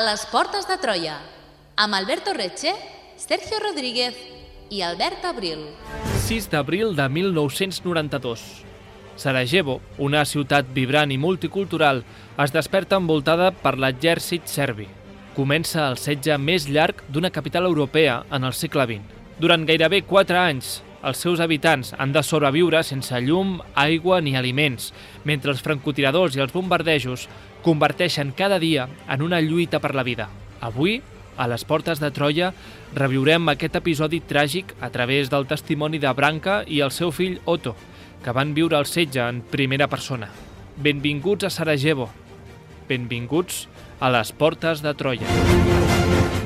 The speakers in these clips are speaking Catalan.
A les portes de Troia, amb Alberto Reche, Sergio Rodríguez i Albert Abril. 6 d'abril de 1992. Sarajevo, una ciutat vibrant i multicultural, es desperta envoltada per l'exèrcit serbi. Comença el setge més llarg d'una capital europea en el segle XX. Durant gairebé 4 anys, els seus habitants han de sobreviure sense llum, aigua ni aliments, mentre els francotiradors i els bombardejos converteixen cada dia en una lluita per la vida. Avui, a les portes de Troia, reviurem aquest episodi tràgic a través del testimoni de Branka i el seu fill Otto, que van viure el setge en primera persona. Benvinguts a Sarajevo. Benvinguts a les portes de Troia.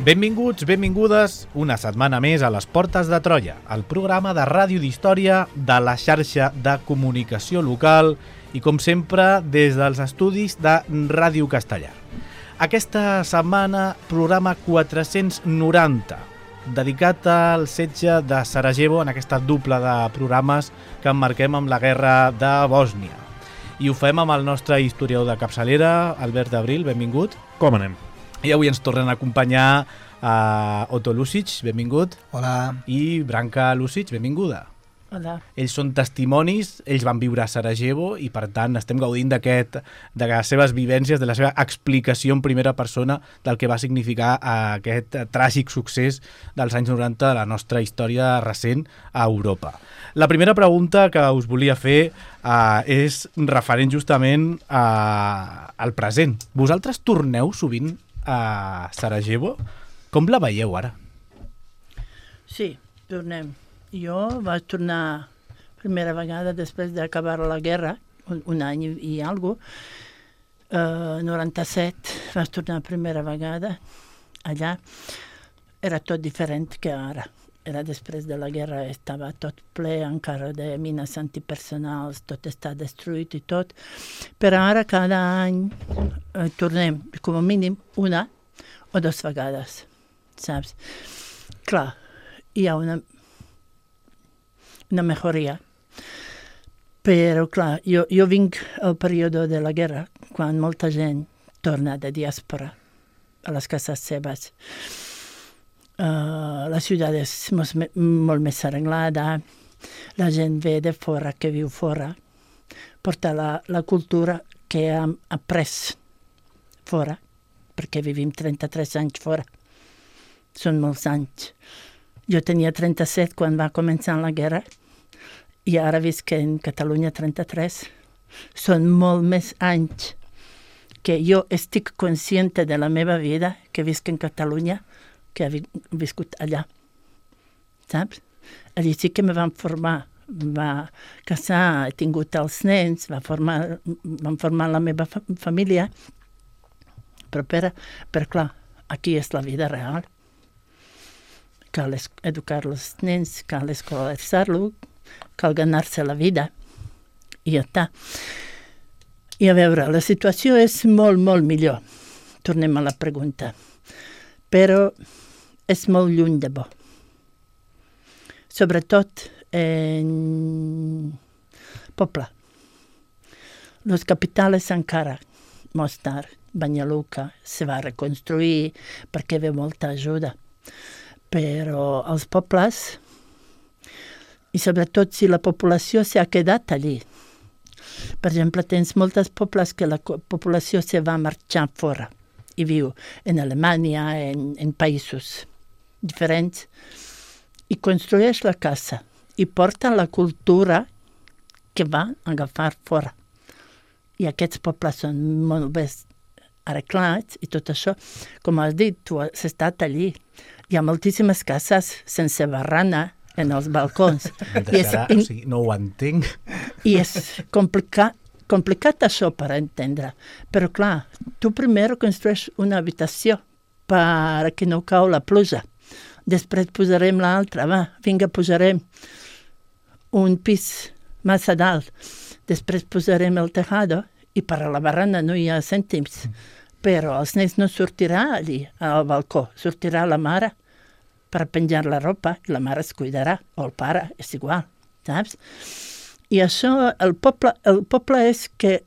Benvinguts, benvingudes, una setmana més a les portes de Troia, el programa de ràdio d'història de la xarxa de comunicació local i, com sempre, des dels estudis de Ràdio Castellar. Aquesta setmana, programa 490, dedicat al setge de Sarajevo, en aquesta dupla de programes que emmarquem amb la guerra de Bòsnia. I ho fem amb el nostre historiador de capçalera, Albert Abril, benvingut. Com anem? I avui ens tornen a acompanyar Otto Lusic, benvingut. Hola. I Branka Lusic, benvinguda. Hola. Ells són testimonis, ells van viure a Sarajevo i, per tant, estem gaudint de les seves vivències, de la seva explicació en primera persona del que va significar aquest tràgic succés dels anys 90 de la nostra història recent a Europa. La primera pregunta que us volia fer és referent justament al present. Vosaltres torneu sovint a Sarajevo? Com la veieu ara? Sí, tornem. Jo vaig tornar primera vegada després d'acabar la guerra, un any i alguna cosa. 97 vaig tornar primera vegada allà. Era tot diferent que ara. Era després de la guerra, estava tot ple encara de mines antipersonals, tot està destruït i tot. Però ara cada any tornem, com a mínim, una o 2 vegades, saps? Clar, hi ha una mejoria. Però, clar, jo vinc al període de la guerra, quan molta gent torna de diàspora a les cases seves. La ciutat és molt més arreglada, la gent ve de fora, que viu fora, porta la cultura que hem après fora, perquè vivim 33 anys fora. Són molts anys. Jo tenia 37 quan va començar la guerra i ara visc en Catalunya 33. Són molt més anys que jo estic consciente de la meva vida que visc en Catalunya que he viscut allà. Saps? Allí sí que me van formar. Va casar, he tingut els nens, van formar la meva família. Però clar, aquí és la vida real. Cal educar els nens, cal escolaritzar-lo, cal ganar-se la vida. I ja està. I a veure, la situació és molt, molt millor. Tornem a la pregunta. Però és molt lluny de bo. Sobretot en poble. Los capitales encara, Mostar, Banja Luka, se va reconstruir perquè ve molta ajuda. Però els pobles, i sobretot si la població s'ha quedat allí. Per exemple, tens molts pobles que la població se va marxar fora i viu en Alemanya, en països diferents, i construeix la casa i porta la cultura que va agafar fora. I aquests pobles són molt bé arreglats i tot això. Com has dit, tu has estat allí. Hi ha moltíssimes cases sense barrana en els balcons. No ho entenc. I és complicat això per entendre. Però clar, tu primer construeix una habitació perquè no cau la pluja. Després posarem l'altra, vinga, posarem un pis massa dalt. Després posarem el tejado i per a la barrana no hi ha cèntims. Però els nens no sortirà allí al balcó, sortirà la mare per penjar la ropa i la mare es cuidarà, o el pare, és igual, saps? I això, el poble és que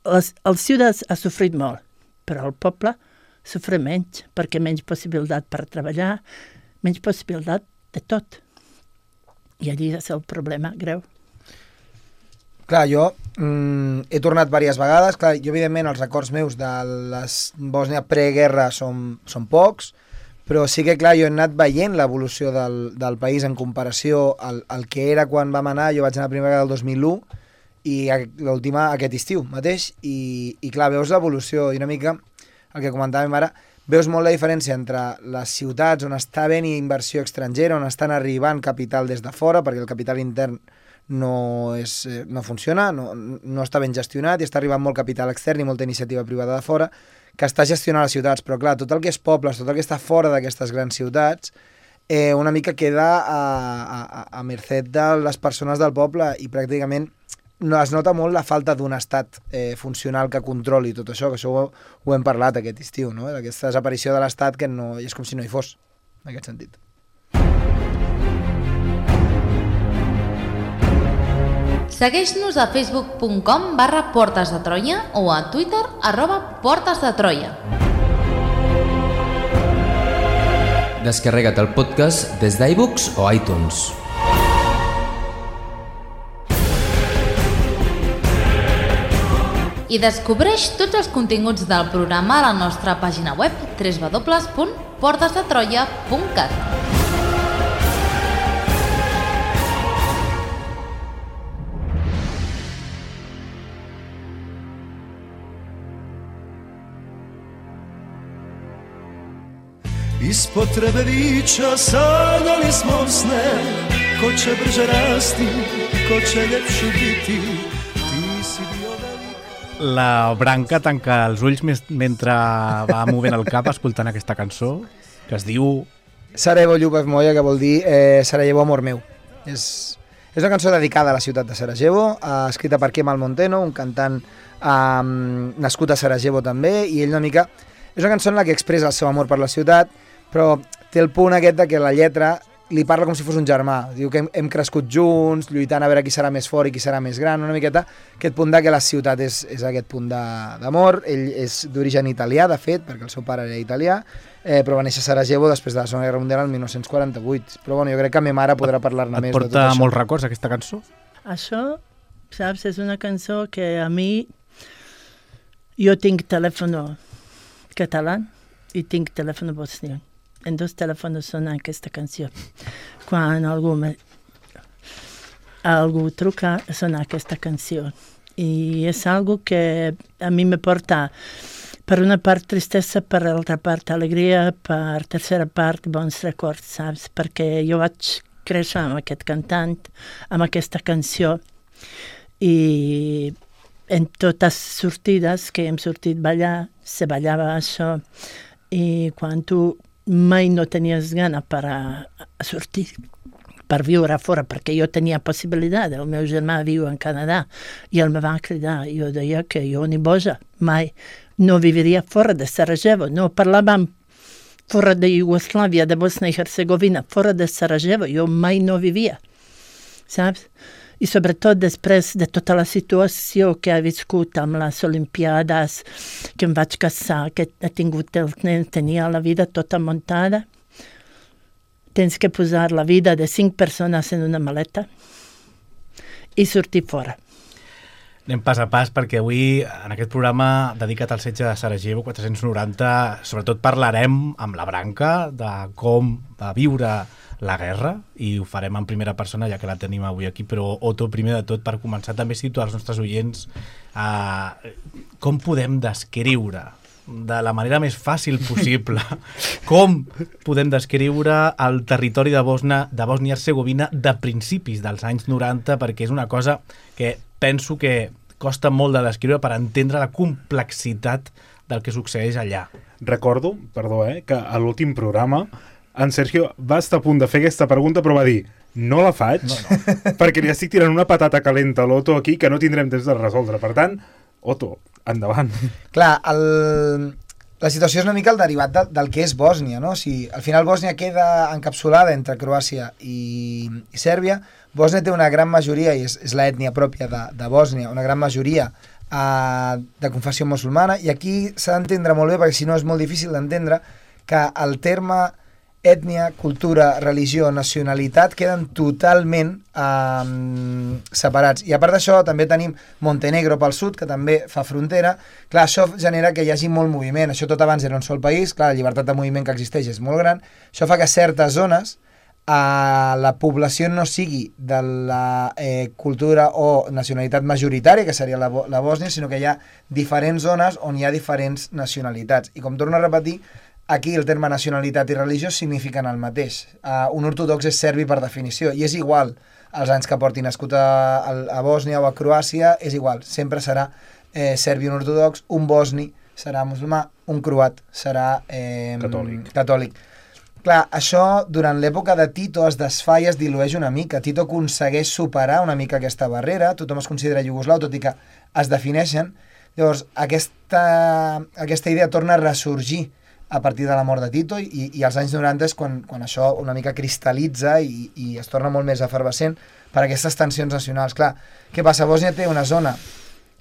els ciutats ha sofrit molt, però el poble sofre menys, perquè menys possibilitat per treballar, menys possibilitat de tot. I allí és el problema greu. Clar, jo he tornat diverses vegades. Clar, jo, evidentment, els records meus de la Bòsnia preguerra són pocs, però sí que, clar, jo he anat veient l'evolució del país en comparació al que era quan vam anar. Jo vaig anar la primera vegada el 2001 i l'última aquest estiu mateix, i clar, veus l'evolució i una mica el que comentàvem ara, veus molt la diferència entre les ciutats on està havent inversió estrangera, on estan arribant capital des de fora, perquè el capital intern no funciona, no està ben gestionat i està arribant molt capital extern i molta iniciativa privada de fora que està gestionant les ciutats, però clar, tot el que és pobles, tot el que està fora d'aquestes grans ciutats, una mica queda a mercè de les persones del poble i pràcticament es nota molt la falta d'un estat funcional que controli tot això, que això ho hem parlat aquest estiu, no? Aquesta desaparició de l'estat que no, és com si no hi fos, en aquest sentit. Segueix-nos a facebook.com/Portes de Troia o a Twitter @Portes de Troia. Descarrega't el podcast des d'iVoox o iTunes. I descobreix tots els continguts del programa a la nostra pàgina web www.portesdetroia.cat. Ispod potrebe vića sanjali smo sne, ko će brže rasti, ko će ljepši biti, ti si bio velik. La Branca tanca els ulls mentre va movent el cap escoltant aquesta cançó que es diu Sarajevo, Ljubav moja, que vol dir Sarajevo, amor meu. És una cançó dedicada a la ciutat de Sarajevo, escrita per Kemal Monteno, un cantant nascut a Sarajevo també, i ell una mica... És una cançó en la que expressa el seu amor per la ciutat, però té el punt aquest de que la lletra li parla com si fos un germà. Diu que hem crescut junts, lluitant a veure qui serà més fort i qui serà més gran, una miqueta aquest punt de que la ciutat és aquest punt d'amor. Ell és d'origen italià, de fet, perquè el seu pare era italià, però va néixer a Sarajevo després de la Segona Guerra Mundial el 1948. Però bueno, jo crec que ma mare podrà parlar-ne més de tot això. Et porta molts records aquesta cançó? Això, saps, és una cançó que a mi... Jo tinc telèfon català i tinc telèfon bosnià. En dos telèfons sona aquesta canció. Quan algú truca, sona aquesta canció. I és algo que a mi me porta, per una part, tristesa, per l'altra part, alegria, per tercera part, bons records, saps? Perquè jo vaig créixer amb aquest cantant, amb aquesta canció, i en totes sortides que hem sortit a ballar, se ballava això, i quan tu mai no tenies gana per a sortir, per viure fora, perquè jo tenia possibilitat. El meu germà viu en Canadà i ell me va cridar. Jo deia que jo ni boja mai no viviria fora de Sarajevo. No parlàvem fora de Iugoslàvia, de Bosnia i Hercegovina, fora de Sarajevo. Jo mai no vivia, saps? I sobretot després de tota la situació que he viscut amb les Olimpiades, que em vaig casar, que he tingut el nen, tenia la vida tota muntada. Tens que posar la vida de 5 persones en una maleta i sortir fora. Anem pas a pas perquè avui, en aquest programa dedicat al setge de Sarajevo 490, sobretot parlarem amb la Branca de com va viure la guerra, i ho farem en primera persona ja que la tenim avui aquí, però Otto, primer de tot, per començar també situar els nostres oients com podem descriure de la manera més fàcil possible com podem descriure el territori de Bòsnia i Hercegovina de principis dels anys 90, perquè és una cosa que penso que costa molt de descriure per entendre la complexitat del que succeeix allà. Recordo, perdó, que a l'últim programa en Sergio va estar a punt de fer aquesta pregunta, però va dir, no la faig, perquè li estic tirant una patata calenta a l'Otto aquí que no tindrem temps de resoldre. Per tant, Otto, endavant. Clar, la situació és una mica el derivat del que és Bòsnia, no? O sigui, al final Bòsnia queda encapsulada entre Croàcia i Sèrbia. Bòsnia té una gran majoria, i és l'ètnia pròpia de Bòsnia, una gran majoria de confessió musulmana, i aquí s'ha d'entendre molt bé, perquè si no és molt difícil d'entendre, que el terme ètnia, cultura, religió, nacionalitat queden totalment separats. I a part d'això també tenim Montenegro pel sud, que també fa frontera. Clar, això genera que hi hagi molt moviment. Això tot abans era un sol país, clar, la llibertat de moviment que existeix és molt gran. Això fa que certes zones la població no sigui de la cultura o nacionalitat majoritària, que seria la Bòsnia, sinó que hi ha diferents zones on hi ha diferents nacionalitats. I com torno a repetir, aquí el terme nacionalitat i religió signifiquen el mateix. Un ortodox és serbi per definició, i és igual els anys que porti nascut a Bòsnia o a Croàcia, és igual, sempre serà serbi un ortodox, un bosni serà musulmà, un croat serà catòlic. Clar, això durant l'època de Tito es desfà i es dilueix una mica. Tito aconsegueix superar una mica aquesta barrera, tothom es considera iugoslau, tot i que es defineixen. Llavors, aquesta idea torna a ressorgir a partir de la mort de Tito, i als anys 90 és quan això una mica cristal·litza i es torna molt més efervescent per aquestes tensions nacionals. Clar, què passa? Bòsnia té una zona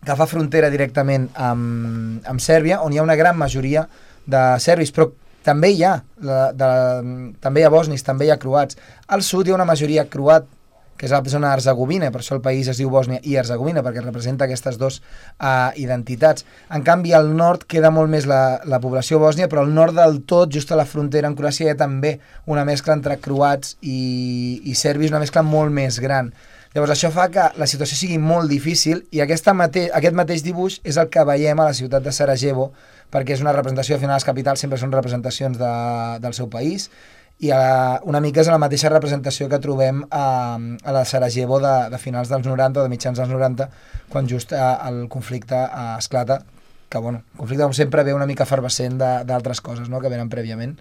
que fa frontera directament amb Sèrbia, on hi ha una gran majoria de serbis, però també hi ha bosnis, també hi ha croats. Al sud hi ha una majoria croat, que és la zona herzegovina, per això el país es diu Bòsnia i Herzegovina, perquè representa aquestes dues identitats. En canvi, al nord queda molt més la població bòsnia, però al nord del tot, just a la frontera amb Croàcia, hi ha també una mescla entre croats i serbis, una mescla molt més gran. Llavors, això fa que la situació sigui molt difícil, i aquest mateix dibuix és el que veiem a la ciutat de Sarajevo, perquè és una representació, al final les capitals sempre són representacions del seu país, i una mica és la mateixa representació que trobem a la Sarajevo de finals dels 90 o de mitjans dels 90, quan just el conflicte esclata, que el conflicte com sempre ve una mica efervescent d'altres coses, no?, que venen prèviament.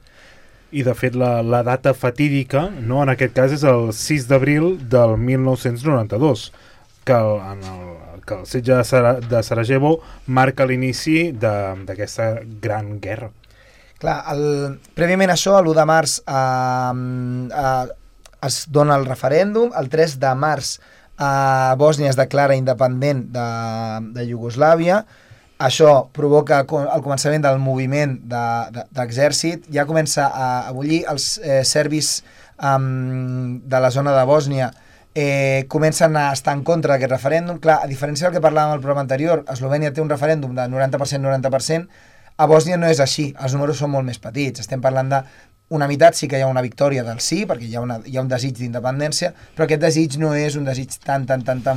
I de fet la data fatídica, no, en aquest cas és el 6 d'abril del 1992, que el setge de Sarajevo marca l'inici d'aquesta gran guerra. Clar, prèviament a això, l'1 de març es dona el referèndum, el 3 de març Bòsnia es declara independent de Iugoslàvia. Això provoca el començament del moviment d'exèrcit, ja comença a bullir, els serbis de la zona de Bòsnia comencen a estar en contra d'aquest referèndum. Clar, a diferència del que parlàvem al programa anterior, Eslovènia té un referèndum de 90%, a Bòsnia no és així, els números són molt més petits, estem parlant d'una meitat, sí que hi ha una victòria del sí, perquè hi ha un desig d'independència, però aquest desig no és un desig tan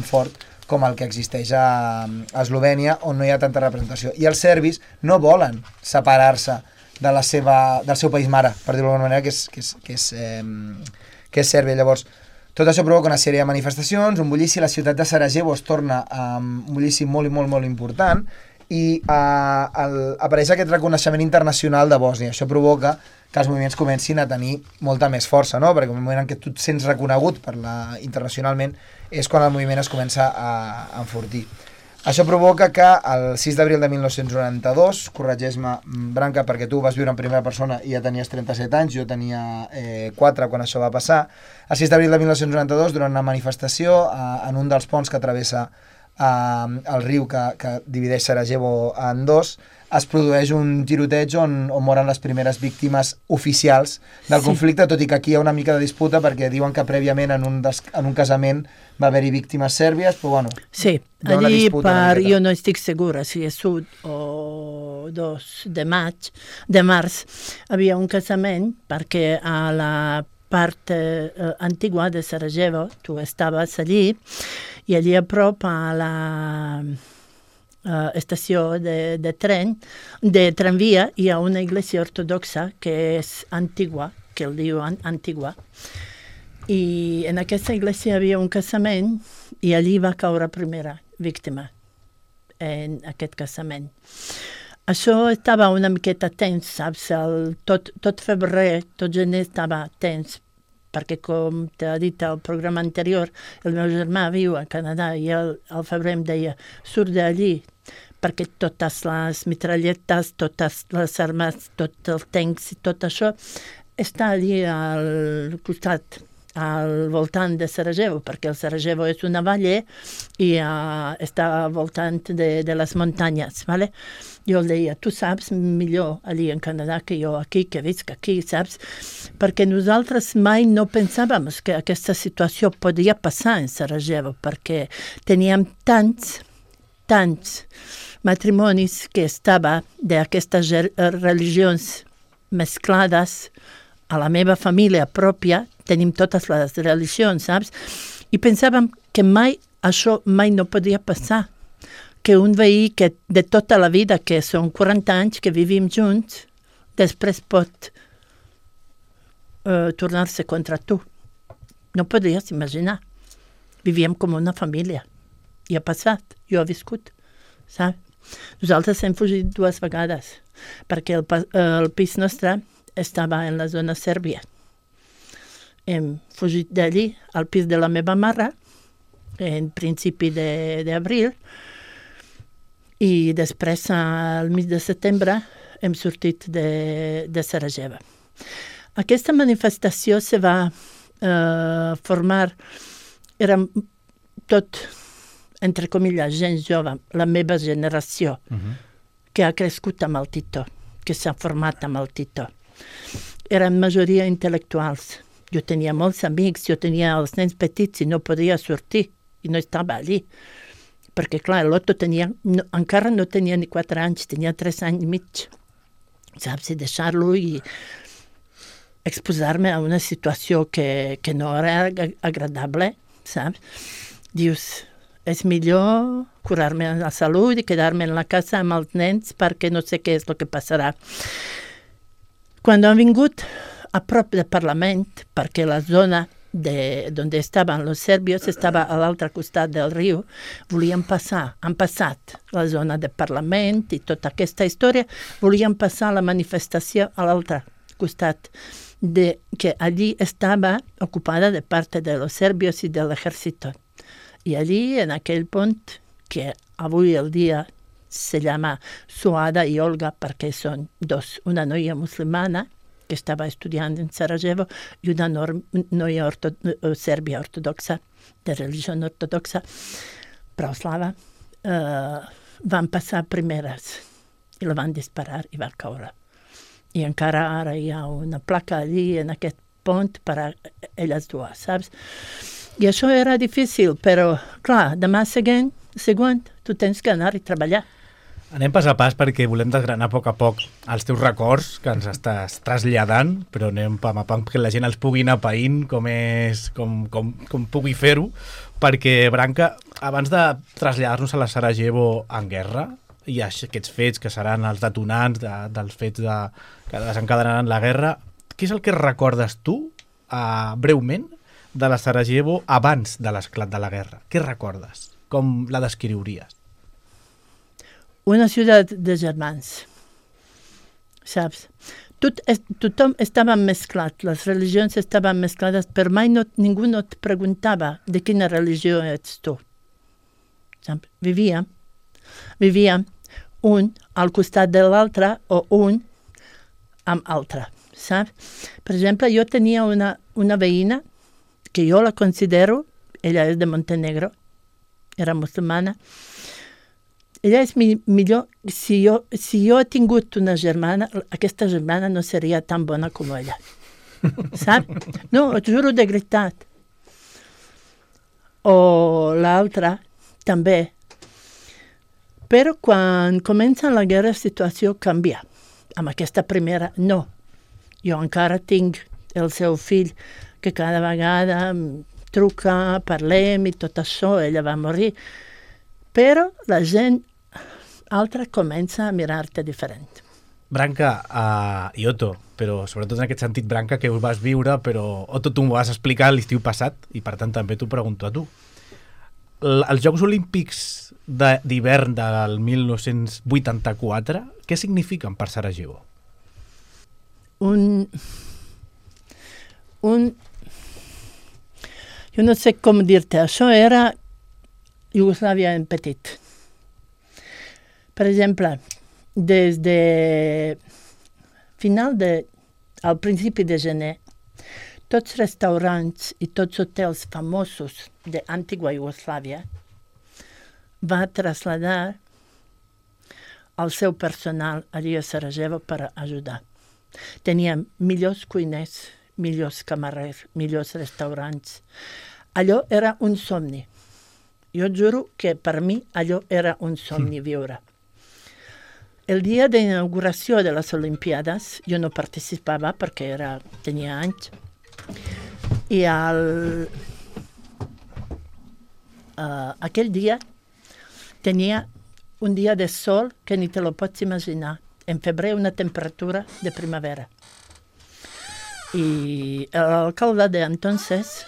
fort com el que existeix a Eslovènia, on no hi ha tanta representació. I els serbis no volen separar-se del seu país mare, per dir-ho d'alguna manera, que és Sèrbia. Llavors, tot això provoca una sèrie de manifestacions, un bullici, la ciutat de Sarajevo es torna un bullici molt i molt, molt important, i apareix aquest reconeixement internacional de Bòsnia. Això provoca que els moviments comencin a tenir molta més força, no? Perquè en el moment en què tu et sents reconegut internacionalment és quan el moviment es comença a enfortir. Això provoca que el 6 d'abril de 1992, corregeix-me, Branca, perquè tu vas viure en primera persona i ja tenies 37 anys, jo tenia 4 quan això va passar, el 6 d'abril de 1992, durant una manifestació en un dels ponts que travessa el riu que divideix Sarajevo en dos, es produeix un tiroteig on moren les primeres víctimes oficials del conflicte, tot i que aquí hi ha una mica de disputa perquè diuen que prèviament en un casament va haver-hi víctimes sèrbies, però bueno... Sí, allí jo no estic segura si és 1 o 2 de març, havia un casament perquè a la part antigua de Sarajevo, tu estaves allí, i allí a prop a la estació de tramvia hi ha una iglesia ortodoxa que és Antigua, que el diuen Antigua, i en aquesta iglesia hi havia un casament i allí va caure primera víctima en aquest casament. Això estava una miqueta tens, saps? Tot febrer, tot gener estava tens, perquè com t'ha dit al programa anterior, el meu germà viu a Canadà i al febrer em deia, surt d'allí, perquè totes les mitralletes, totes les armes, tots els tancs i tot això està allí al costat, al voltant de Sarajevo, perquè el Sarajevo és una valle i està al voltant de les muntanyes, ¿vale? Jo el deia, tu saps millor allí en Canadà que jo aquí, que visc aquí, saps? Perquè nosaltres mai no pensàvem que aquesta situació podia passar en Sarajevo, perquè teníem tants matrimonis que estava d'aquestes religions mesclades a la meva família pròpia, tenim totes les religions, saps? I pensàvem que això mai no podia passar, que un veí que de tota la vida, que són 40 anys que vivim junts, després pot tornar-se contra tu. No podies imaginar. Vivíem com una família. I ha passat, jo he viscut, saps? Nosaltres hem fugit 2 vegades, perquè el pis nostre estava en la zona sèrbia. Hem fugit d'allí al pis de la meva mare, en principi d'abril, i després, al mig de setembre, hem sortit de Sarajevo. Aquesta manifestació se va formar, érem tot, entre comilles, gent jove, la meva generació, que ha crescut amb el Tito, que s'ha format amb el Tito. Eren majoria intel·lectuals. Jo tenia molts amics, jo tenia els nens petits i no podia sortir, i no estava allí. Perquè, clar, l'Otto encara no tenia ni 4 anys, tenia 3 anys i mig. Saps? I deixar-lo i exposar-me a una situació que no era agradable, saps? Dius, és millor curar-me la salut i quedar-me en la casa amb els nens perquè no sé què és el que passarà. Quan han vingut a prop del Parlament, perquè la zona on estaven els serbios estava a l'altre costat del riu, volien passar, han passat la zona del Parlament i tota aquesta història, volien passar la manifestació a l'altre costat, que allí estava ocupada de part de los serbios i de l'ejército. I allí, en aquell pont, que avui el dia se llama Suada i Olga, perquè són 2, una noia musulmana, que estava estudiant en Sarajevo, i una noia sèrbia ortodoxa, de religió ortodoxa, prauslava, van passar primeres i la van disparar i va caure. I encara ara hi ha una placa allí en aquest pont per a elles 2, saps? I això era difícil, però, clar, demà següent, tu tens que anar i treballar. Anem pas a pas perquè volem desgranar a poc els teus records que ens estàs traslladant, però anem pam a pam perquè la gent els pugui anar païnt com pugui fer-ho, perquè, Branca, abans de traslladar-nos a la Sarajevo en guerra, i aquests fets que seran els detonants dels fets que desencadenaran la guerra, què és el que recordes tu, breument, de la Sarajevo abans de l'esclat de la guerra? Què recordes? Com la descriuries? Una ciutat de germans, saps? Tothom estava mesclat, les religions estaven mesclades, però mai ningú no et preguntava de quina religió ets tu. Saps? Vivíem un al costat de l'altre o un amb altre, saps? Per exemple, jo tenia una veïna que jo la considero, ella és de Montenegro, era musulmana. Ella és millor, si jo he tingut una germana, aquesta germana no seria tan bona com ella. Saps? No, ho juro de veritat. O l'altra, també. Però quan comença la guerra, la situació canvia. Amb aquesta primera, no. Jo encara tinc el seu fill, que cada vegada truca, parlem i tot això, ella va morir. Però la gent altra comença a mirar-te diferent. Branca i Otto, però sobretot en aquest sentit, Branca, que ho vas viure, però Otto, tu m'ho vas explicar l'estiu passat i per tant també t'ho pregunto a tu. Els Jocs Olímpics d'hivern del 1984, què signifiquen per Sarajevo? Jo no sé com dir-te, això era Iugoslàvia en petit. Per exemple, des de al principi de gener, tots restaurants i tots hotels famosos d'antiga Iugoslàvia va traslladar el seu personal allí a Sarajevo per ajudar. Tenia millors cuiners, millors camarers, millors restaurants. Allò era un somni. Jo juro que per mi allò era un somni viure. El dia d'inauguració de les Olimpiades jo no participava perquè tenia anys. I aquell dia tenia un dia de sol que ni te lo pots imaginar. En febrer una temperatura de primavera. I l'alcalde d'entonces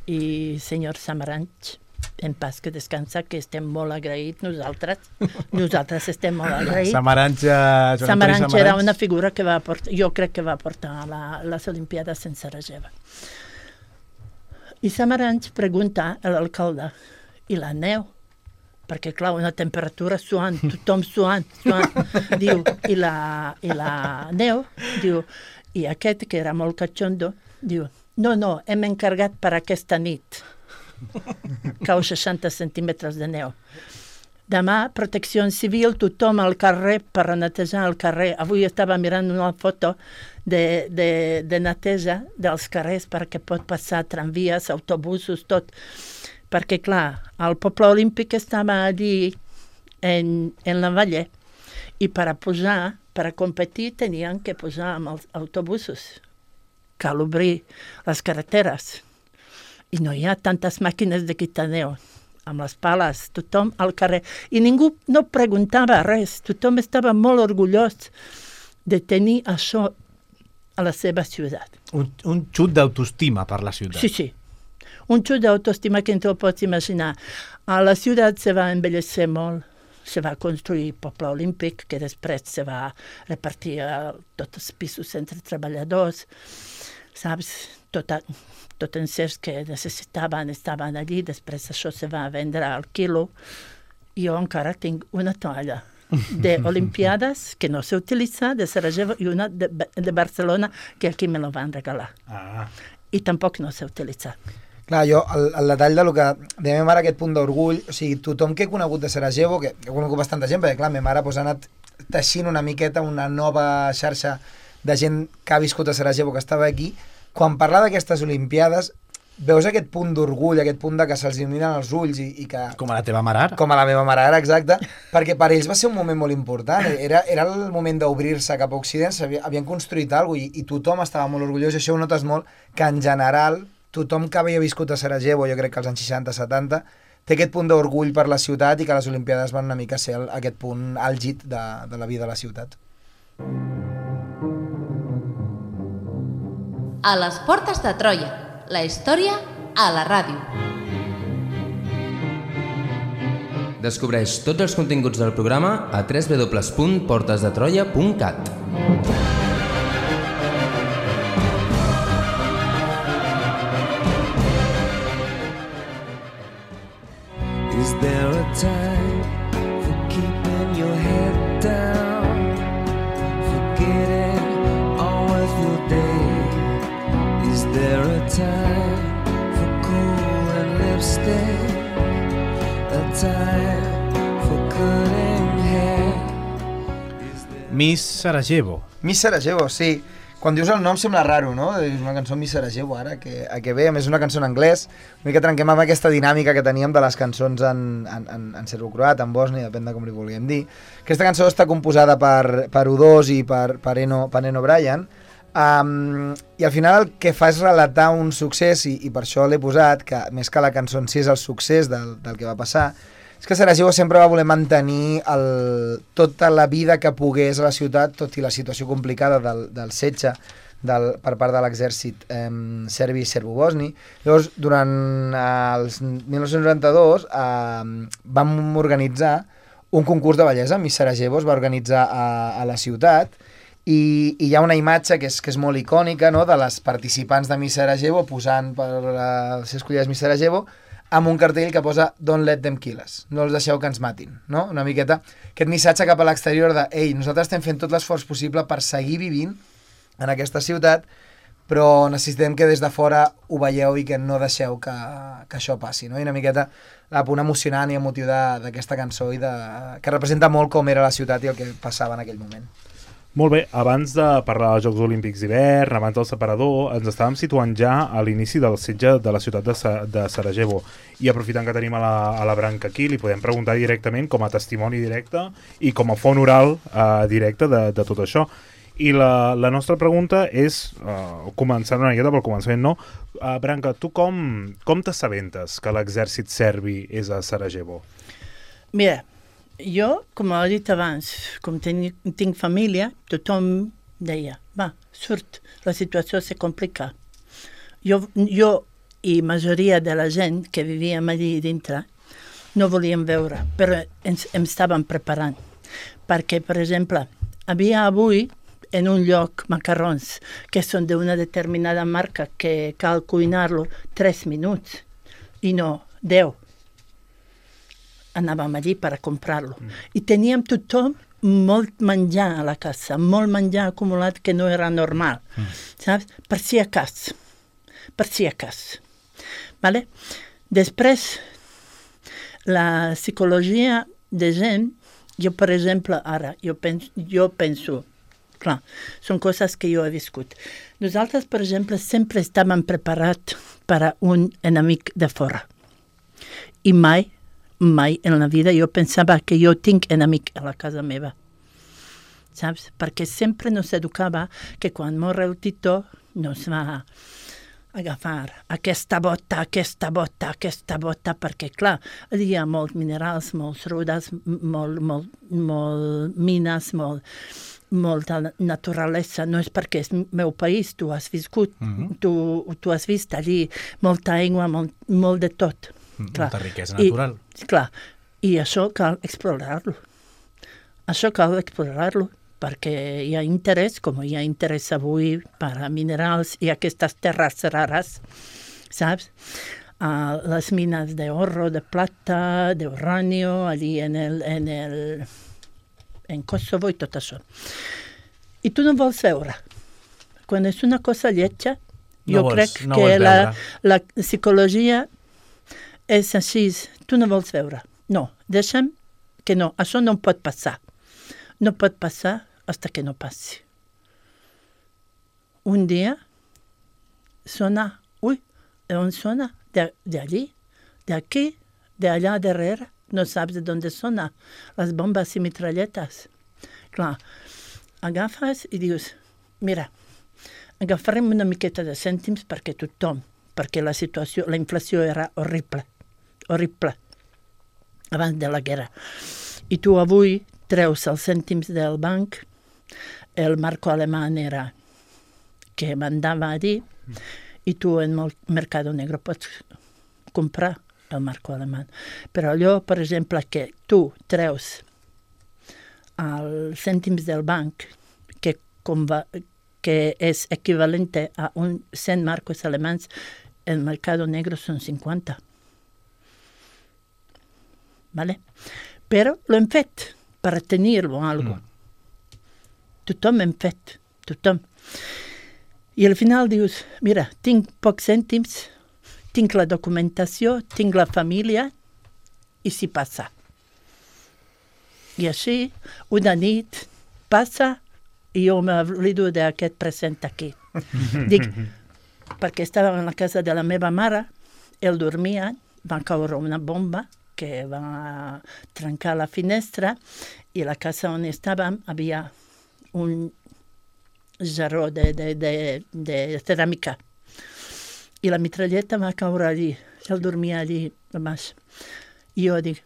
i senyor Samaranch, en paz que descansa, que estem molt agraïts nosaltres estem molt agraïts. Samaranch era una figura que jo crec que va portar les Olimpiades en Sarajevo. I Samaranch pregunta a l'alcalde, i la neu? Perquè, clar, una temperatura suant, tothom suant, diu, i la neu, diu, i aquest, que era molt catxondo, diu, no, hem encarregat per aquesta nit. Cau 60 centímetres de neu. Demà, protecció civil, tothom al carrer per netejar el carrer. Avui estava mirant una foto de neteja dels carrers perquè pot passar tramvies, autobusos, tot. Perquè, clar, el poble olímpic estava allí en la Valle i per a competir tenien que posar amb els autobusos. Cal obrir les carreteres. I no hi ha tantes màquines de quitar neu. Amb les pales, tothom al carrer. I ningú no preguntava res. Tothom estava molt orgullós de tenir això a la seva ciutat. Un xut d'autoestima per la ciutat. Sí. Un xut d'autoestima que no te'l pots imaginar. A la ciutat se va embellecer molt. Se va construir poble olímpic, que després se va repartir a tots els pisos entre treballadors. Saps? Tot encers que necessitaven estaven allí, després això se va vendre al quilo. Jo encara tinc una toalla d'Olimpiades que no s'utilitza, de Sarajevo, i una de Barcelona, que aquí me la van regalar. I tampoc no s'utilitza. Clar, jo, el detall de lo que de meva mare, aquest punt d'orgull, o sigui, tothom que he conegut de Sarajevo, que he conegut bastanta gent, perquè clar, meva mare ha anat teixint una miqueta una nova xarxa de gent que ha viscut a Sarajevo, que estava aquí. Quan parla d'aquestes Olimpiades, veus aquest punt d'orgull, aquest punt de que se'ls il·luminen els ulls i que... Com a la teva mare ara. Com a la meva mare ara, exacte, perquè per ells va ser un moment molt important. Era el moment d'obrir-se cap a Occident, havien construït alguna cosa i tothom estava molt orgullós, i això ho notes molt, que en general tothom que havia viscut a Sarajevo, jo crec que als anys 60-70, té aquest punt d'orgull per la ciutat i que les Olimpiades van una mica ser aquest punt àlgid de la vida de la ciutat. A les portes de Troia, la història a la ràdio. Descobreix tots els continguts del programa a www.portesdetroia.cat. Is there a time for keeping your head down, forgetting all of your day? Is there a time for cool and lipstick, a time for cutting hair? Miss Sarajevo. Miss Sarajevo, sí. Quan dius el nom sembla raro, no? És una cançó Miss Sarajevo, ara, que ve, a més una cançó en anglès, una mica trenquem amb aquesta dinàmica que teníem de les cançons en serbo-croat, en bosni, depèn de com li vulguem dir. Aquesta cançó està composada per U2 i per Eno Bryan, i al final el que fa és relatar un succés, i per això l'he posat, que més que la cançó en si és el succés del que va passar, és que Sarajevo sempre va voler mantenir tota la vida que pogués a la ciutat, tot i la situació complicada del setge per part de l'exèrcit serbi i serbo-bosni. Llavors, durant els 1992 vam organitzar un concurs de bellesa. Miss Sarajevo es va organitzar a la ciutat i hi ha una imatge que és molt icònica, no?, de les participants de Miss Sarajevo posant per ser escollides Miss Sarajevo, amb un cartell que posa "Don't let them kill us", no els deixeu que ens matin, no? Una miqueta aquest missatge cap a l'exterior de "Ei, nosaltres estem fent tot l'esforç possible per seguir vivint en aquesta ciutat, però necessitem que des de fora ho veieu i que no deixeu que això passi, no? I una miqueta el punt emocionant i emotiu d'aquesta cançó i que representa molt com era la ciutat i el que passava en aquell moment. Molt bé, abans de parlar dels Jocs Olímpics d'hivern, abans del separador, ens estàvem situant ja a l'inici del setge de la ciutat de Sarajevo. I aprofitant que tenim a la Branca aquí, li podem preguntar directament com a testimoni directe i com a font oral directe de tot això. I la nostra pregunta és, començant una miqueta pel començament, no? Branca, tu com t'assabentes que l'exèrcit serbi és a Sarajevo? Mira, jo, com he dit abans, com tinc família, tothom deia, va, surt, la situació se complica. Jo i majoria de la gent que vivíem allí dintre no volíem veure, però ens estàvem preparant. Perquè, per exemple, havia avui en un lloc macarrons que són d'una determinada marca que cal cuinar-lo 3 minuts i no 10. Anàvem allí per a comprar-lo. I teníem tothom molt menjar a la casa, molt menjar acumulat que no era normal, saps? Per si a cas. Vale? Després, la psicologia de gent, jo, per exemple, ara, jo penso, clar, són coses que jo he viscut. Nosaltres, per exemple, sempre estàvem preparats per a un enemic de fora. I mai en la vida jo pensava que jo tinc enemic a la casa meva. Saps? Perquè sempre nos educava que quan mor el Tito nos va agafar aquesta bota, perquè, clar, hi ha molts minerals, molts rudes, molt mines, molta naturalesa. No és perquè és meu país, tu has viscut, tu has vist allí molta aigua, molt de tot. Molta riquesa natural. I això cal explorar-lo. Perquè hi ha interès, com hi ha interès avui per a minerals i aquestes terres rares, saps? Les mines d'oro, de plata, d'uranio, allí en Kosovo i tot això. I tu no vols veure. Quan és una cosa lletja, jo crec que la psicologia és així, tu no vols veure. No, deixa'm que no, això no pot passar. No pot passar fins que no passi. Un dia sona, on sona? D'allí, d'aquí, d'allà darrere, no saps d'on sona, les bombes i mitralletes. Clar, agafes i dius, mira, agafarem una miqueta de cèntims perquè la situació, la inflació era horrible, abans de la guerra. I tu avui treus els cèntims del banc, el marco alemán era que mandava allí, i tu en el Mercado Negro pots comprar el marco alemán. Però allò, per exemple, que tu treus els cèntims del banc, que és equivalent a 100 marcos alemans, el Mercado Negro són 50. ¿Vale? Però lo hem fet per tenir-lo algo. Tothom hem fet, tothom. I al final dius, mira, tinc pocs cèntims, tinc la documentació, tinc la família, i si passa. I així, una nit passa i jo m'oblido d'aquest present aquí. Dic, perquè estava en la casa de la meva mare, ell dormia, va caure una bomba que va trencar la finestra i la casa on estàvem havia un jarró de ceràmica. I la mitralleta va caure allí. Ell dormia allí a baix. I jo dic,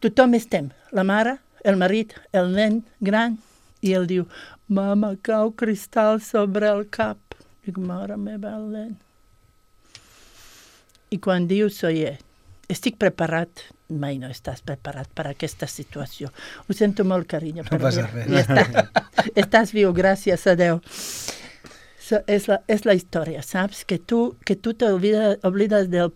tothom estem, la mare, el marit, el nen gran, i ell diu, mama, cau cristal sobre el cap. Dic, mare meva, el nen. I quan dius, oye, estic preparat, mai no estàs preparat per a aquesta situació. Ho sento molt, carinyo. No passa res. Estàs viu, gràcies a Déu. És la història, saps? Que tu t'oblides del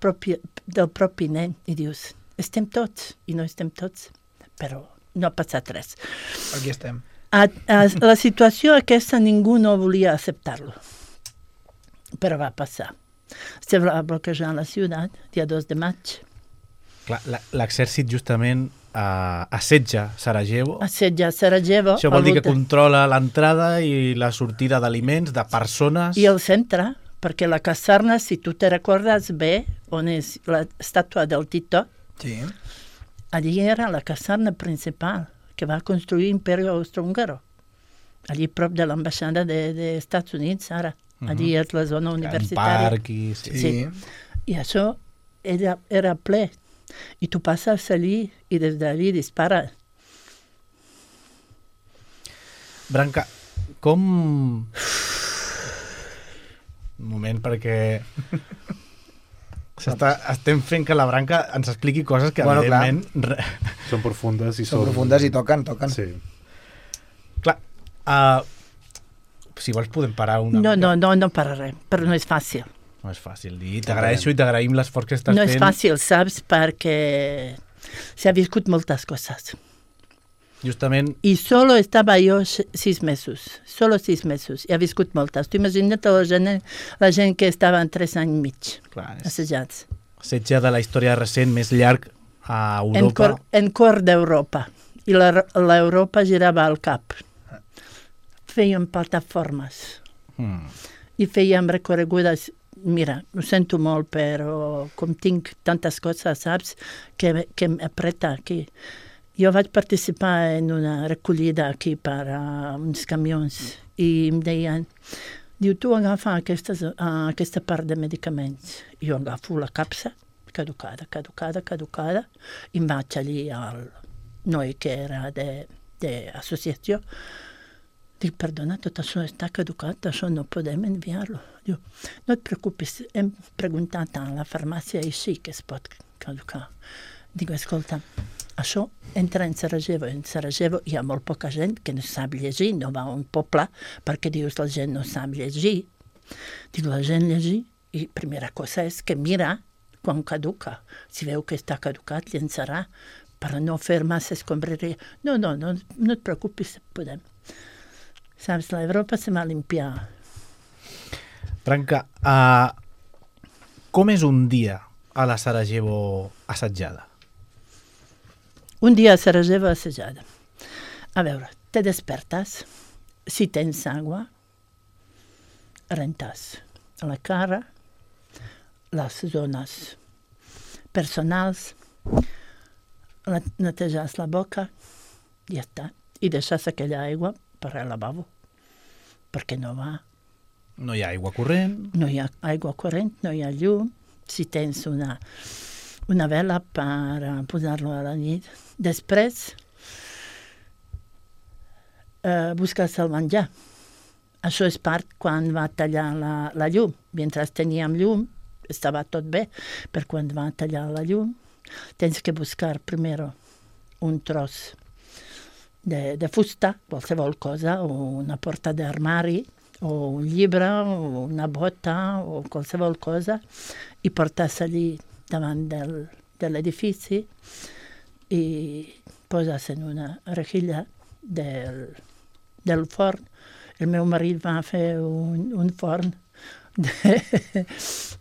propi nen i dius, estem tots, i no estem tots, però no ha passat res. Aquí estem. La situació aquesta ningú no volia acceptar-lo. però va passar. Se va bloquejar la ciutat, dia 2 de maig. Clar, l'exèrcit justament assetja Sarajevo. Assetja Sarajevo. Això vol dir que controla l'entrada i la sortida d'aliments, de persones. I el centre, perquè la caserna, si tu te recordes bé, on és l'estàtua del Tito, Sí. allí era la caserna principal que va construir l'Imperi Austrohúngaro. Allí prop de l'ambaixada dels Estats Units, ara. Allí és la zona universitària. Un parc i... Sí. I això era ple. I tu passes allí i des d'allí dispara. Branca, com... Un moment, perquè... Estem fent que la Branca ens expliqui coses que, evidentment... Són profundes i Són profundes i toquen. Sí. Clar, si vols podem parar una... No pararem, però no és fàcil. No és fàcil. I t'agraeixo i t'agraïm l'esforç que estàs fent. No és fàcil, saps, perquè s'ha viscut moltes coses. Justament... I solo estava jo 6 mesos. Solo 6 mesos. I ha viscut moltes. Tu imagina't la gent que estava en 3 anys i mig. Clar, assajats. Setge de la història recent més llarg a Europa. En cor d'Europa. I l'Europa girava al cap. Fèiem plataformes. I fèiem recorregudes. Mira, ho sento molt, però com tinc tantes coses, saps, que m'apreta aquí. Jo vaig participar en una recollida aquí per uns camions i em deien, diu, tu agafa aquesta part de medicaments. Jo agafo la capsa, caducada, i em vaig allí al noi que era d'associació. Dic, perdona, tot això està caducat, això no podem enviar-lo. Diu, no et preocupis, hem preguntat a la farmàcia i sí que es pot caducar. Dic, escolta, això entra en Sarajevo. En Sarajevo hi ha molt poca gent que no sap llegir, no va a un poble perquè dius la gent no sap llegir. Dic, la gent llegir i primera cosa és que mira quan caduca. Si veu que està caducat, llençarà per no fer massa escombraria. No et preocupis, podem. Saps, l'Europa se va limpiar. Branca, com és un dia a la Sarajevo assetjada? Un dia a Sarajevo assetjada. A veure, te despertes, si tens aigua, rentes a la cara, les zones personals, neteges la boca, i ja està. I deixes aquella aigua per al lavabo, perquè no va. No hi ha aigua corrent. No hi ha aigua corrent, no hi ha llum. Si tens una vela per posar-lo a la nit. Després, busques el menjar. Això és part quan va tallar la llum. Mentre teníem llum, estava tot bé, però quan va tallar la llum, tens que buscar primer un tros de fusta, qualsevol cosa, o una porta d'armari, o un llibre, o una bota, o qualsevol cosa, i portes allí davant de l'edifici i poses en una rejilla del forn. El meu marit va fer un forn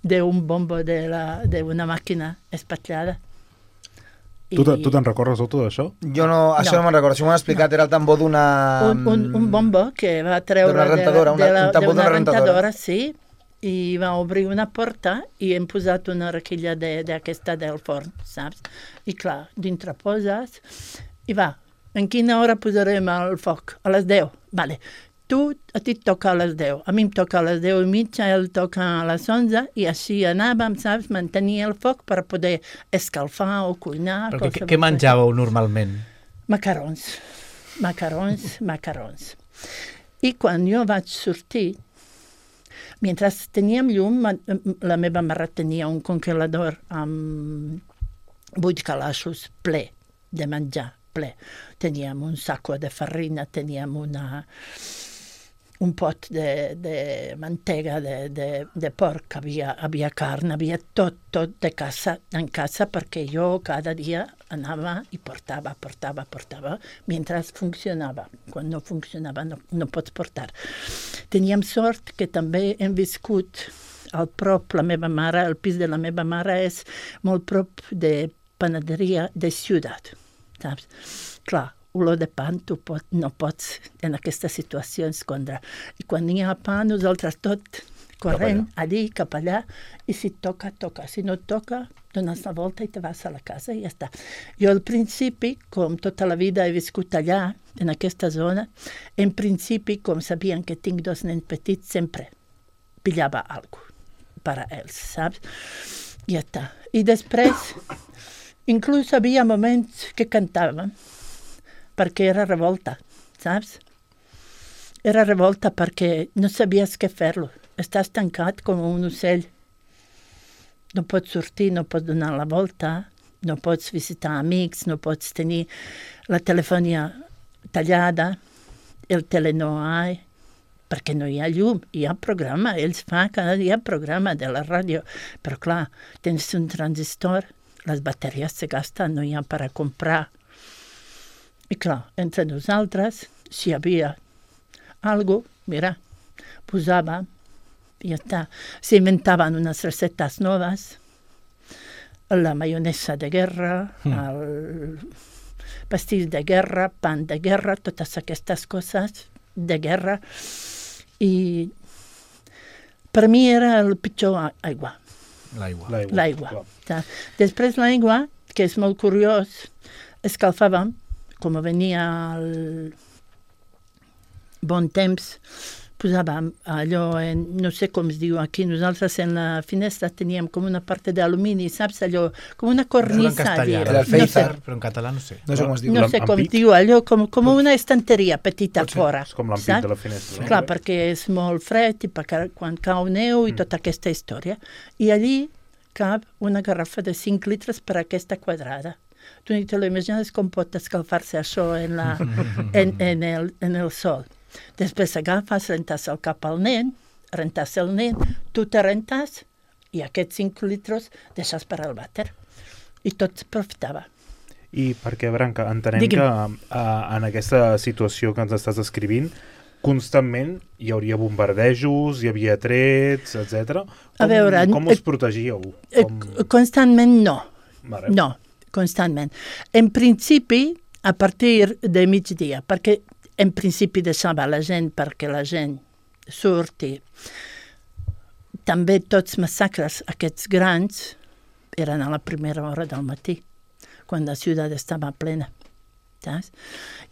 d'un bombo d'una màquina espatllada. Tu te'n recordes tot d'això? Jo no, això no me'n recordo. Això m'ho han explicat, era el tambor d'una... Un bombo que va treure d'una rentadora, sí, i va obrir una porta i hem posat una requilla d'aquesta del forn, saps? I clar, dintre poses i va, en quina hora posarem el foc? A les 10. Vale. A ti et toca a les 10, a mi em toca a les 10 i mitja, ell toca a les 11, i així anàvem, saps, mantenir el foc per poder escalfar o cuinar. Però què menjàveu normalment? Macarons. I quan jo vaig sortir, mentre teníem llum, la meva mare tenia un congelador amb 8 calaixos ple de menjar, ple. Teníem un saco de farina, teníem un pot de mantega de porc, havia carn, havia tot en casa, perquè jo cada dia anava i portava, mentre funcionava. Quan no funcionava no pots portar. Teníem sort que també hem viscut al prop, la meva mare, el pis de la meva mare és molt prop de panaderia de ciutat, saps? Clar, olor de pa no pots en aquesta situació escondre. I quan hi ha pa, nosaltres tot corrent allí, cap allà, i si toca, toca. Si no toca, dones la volta i te vas a la casa i ja està. Jo al principi, com tota la vida he viscut allà, en aquesta zona, en principi, com sabien que tinc 2 nens petits, sempre pillava alguna cosa per a ells, saps? I ja està. I després, inclús havia moments que cantàvem, perquè era revolta, saps? Era revolta perquè no sabies què fer-lo. Estàs tancat com un ocell. No pots sortir, no pots donar la volta, no pots visitar amics, no pots tenir la telefonia tallada, el tele no hi ha, perquè no hi ha llum, hi ha programa, ells fan cada dia programa de la ràdio, però clar, tens un transistor, les bateries se gasten, no hi ha per a comprar. I clar, entre nosaltres, si hi havia algo, mira, posava, i ja està. S'inventaven unes recetes noves, la maionesa de guerra, el pastís de guerra, pan de guerra, totes aquestes coses de guerra, i per mi era el pitjor aigua. L'aigua. Després l'aigua, que és molt curiós, escalfàvem, com venia el bon temps, posàvem allò, no sé com es diu aquí, nosaltres en la finestra teníem com una part d'alumini, saps allò, com una cornisa. Era el Feizar, però en català no sé. No sé com es diu. No sé com es diu, allò com una estanteria petita fora. És com l'ampit de la finestra. Clar, perquè és molt fred i quan cau neu i tota aquesta història. I allí cap una garrafa de 5 litres per aquesta quadrada. Tu ni te lo imagines com pot escalfar-se això en el sol. Després agafes, rentes el cap al nen, rentes el nen, tu te rentes i aquests 5 litres deixes per al vàter. I tot profitava. I perquè, Branca, entenem que en aquesta situació que ens estàs descrivint, constantment hi hauria bombardejos, hi havia trets, etc. Com us protegíeu? Constantment no. Vale. No, constantment. En principi, a partir de migdia, perquè en principi deixava la gent perquè la gent surti. També tots massacres, aquests grans, eren a la primera hora del matí, quan la ciutat estava plena. Saps?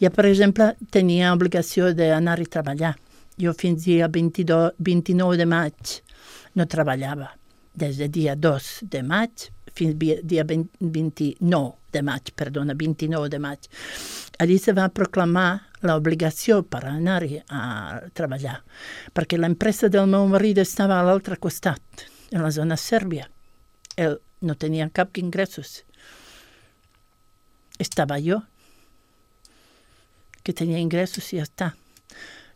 Jo, per exemple, tenia obligació d'anar a treballar. Jo fins dia 29 de maig no treballava. Des del dia 2 de maig fins dia 29 de maig, perdona, 29 de maig. Allí se va proclamar l'obligació per anar-hi a treballar, perquè l'empresa del meu marit estava a l'altre costat, en la zona sèrbia. Ell no tenia cap ingressos. Estava jo, que tenia ingressos i ja està.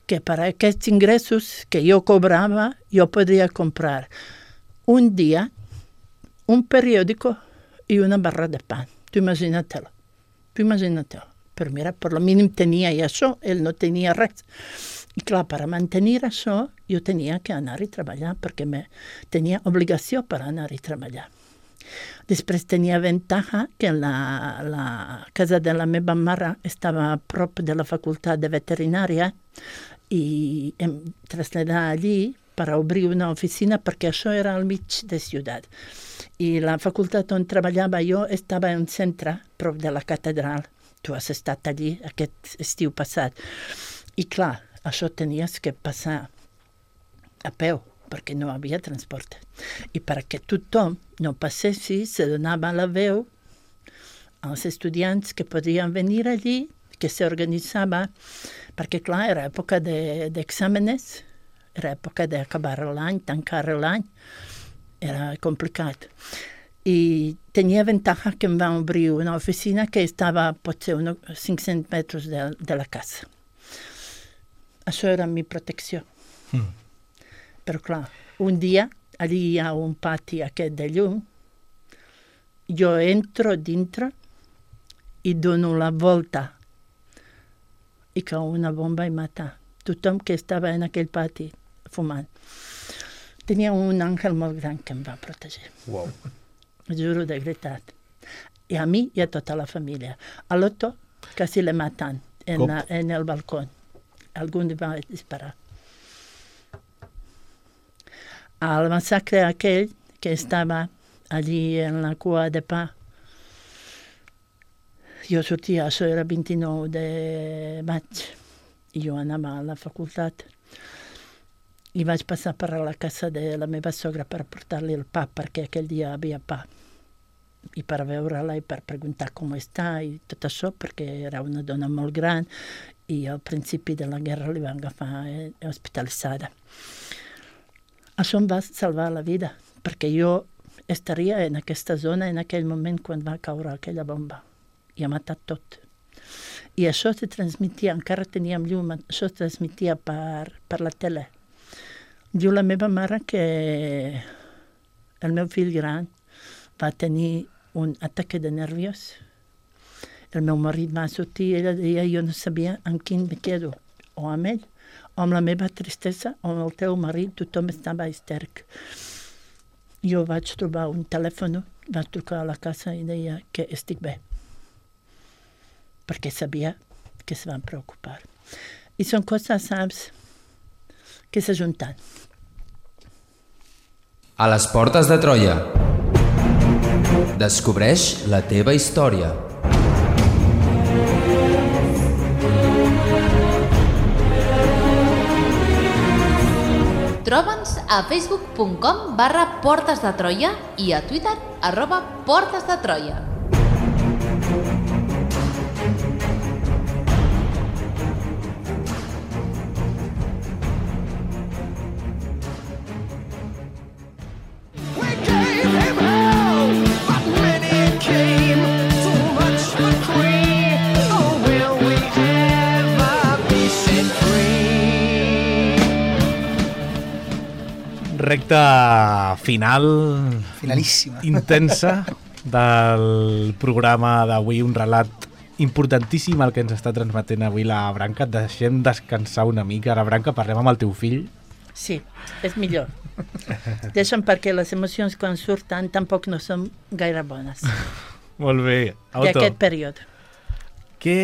Que per aquests ingressos que jo cobrava, jo podria comprar un dia un periòdico i una barra de pa. Tu imagina-te-lo. Però mira, per lo mínim tenia i això, ell no tenia res. I clar, per mantenir això, jo tenia que anar a treballar, perquè tenia obligació per anar a treballar. Després tenia avantatge que la casa de la meva mare estava a prop de la facultat de veterinària i em traslladà allí per obrir una oficina, perquè això era al mig de ciutat. I la facultat on treballava jo estava en un centre, prop de la catedral. Tu has estat allí aquest estiu passat. I clar, això tenies que passar a peu, perquè no hi havia transport. I perquè tothom no passessi, se donava la veu als estudiants que podien venir allí, que s'organitzava, perquè clar, era època d'exàmenes, era època d'acabar l'any, tancar l'any, era complicat. I tenia avantatge que em va obrir una oficina que estava potser uns 500 metres de la casa. Això era la meva protecció. Però clar, un dia, allí hi ha un pati aquest de llum, jo entro dintre i dono la volta i cau una bomba i mata tothom que estava en aquell pati fumant. Tenia un àngel molt gran que em va protegir. Wow. Juro de veritat. I a mi i a tota la família. A l'Otto quasi le matan en el balcó. Algú li va disparar. Al massacre aquell que estava allí en la cua de pa, jo sortia, això era 29 de maig, i jo anava a la facultat. I vaig passar per la casa de la meva sogra per portar-li el pa, perquè aquell dia havia pa. I per veure-la i per preguntar com està i tot això, perquè era una dona molt gran i al principi de la guerra li van agafar hospitalitzada. Això em va salvar la vida, perquè jo estaria en aquesta zona en aquell moment quan va caure aquella bomba i ha matat tot. I això se transmetia, encara teníem llum, això es transmetia per la tele. Diu la meva mare que el meu fill gran va tenir un ataque de nervios. El meu marit va sortir i ella deia jo no sabia amb quin me quedo, o amb ell, o amb la meva tristesa, o amb el teu marit, tothom estava histèric. Jo vaig trobar un telèfon, vaig trucar a la casa i deia que estic bé, perquè sabia que se van preocupar. I són coses, saps, que s'ajunten. A les portes de Troia. Descobreix la teva història. Troba'ns a facebook.com/Portes de Troia i a Twitter @Portes de Troia. Recta final... Finalíssima. Intensa del programa d'avui, un relat importantíssim el que ens està transmetent avui la Branca. Et deixem descansar una mica. Ara, Branca, parlem amb el teu fill. Sí, és millor. Deixa'm perquè les emocions quan surten tampoc no són gaire bones. Molt bé. D'aquest període. Què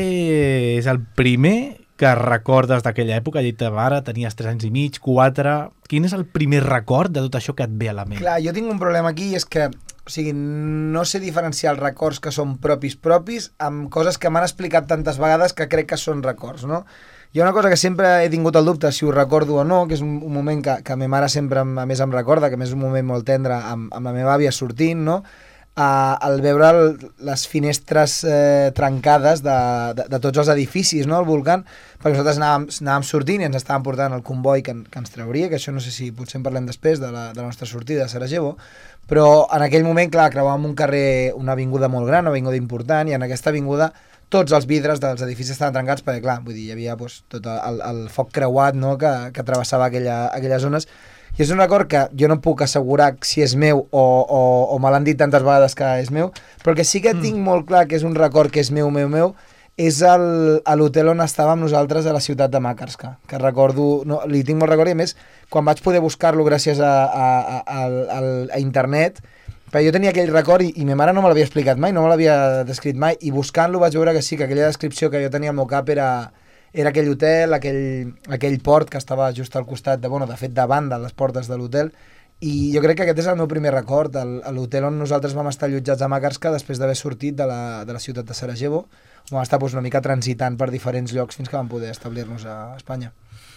és el primer que recordes d'aquella època? Ja te mare, tenies 3 anys i mig, 4... Quin és el primer record de tot això que et ve a la ment? Clar, jo tinc un problema aquí i és que, o sigui, no sé diferenciar els records que són propis amb coses que m'han explicat tantes vegades que crec que són records, no? Hi ha una cosa que sempre he tingut el dubte si ho recordo o no, que és un moment que ma mare sempre a més em recorda, que a més és un moment molt tendre amb la meva àvia sortint, no? Al veure les finestres trencades de tots els edificis, no? El volcán, perquè nosaltres anàvem sortint i ens estàvem portant el comboi que ens trauria, que això no sé si potser en parlem després de la nostra sortida a Sarajevo, però en aquell moment, clar, creuàvem un carrer, una avinguda molt gran, una avinguda important, i en aquesta avinguda tots els vidres dels edificis estaven trencats perquè, clar, vull dir, hi havia tot el foc creuat, no?, que travessava aquelles zones. I és un record que jo no puc assegurar si és meu o me l'han dit tantes vegades que és meu, però que sí que tinc molt clar que és un record que és meu, és a l'hotel on estàvem nosaltres a la ciutat de Makarska, que recordo, no, li tinc molt record, i a més, quan vaig poder buscar-lo gràcies a internet, perquè jo tenia aquell record i ma mare no me l'havia explicat mai, no me l'havia descrit mai, i buscant-lo vaig veure que sí, que aquella descripció que jo tenia al meu cap era aquell hotel, aquell port que estava just al costat, de fet davant de les portes de l'hotel, i jo crec que aquest és el meu primer record, l'hotel on nosaltres vam estar allotjats a Makarska després d'haver sortit de la ciutat de Sarajevo, on vam estar una mica transitant per diferents llocs fins que vam poder establir-nos a Espanya.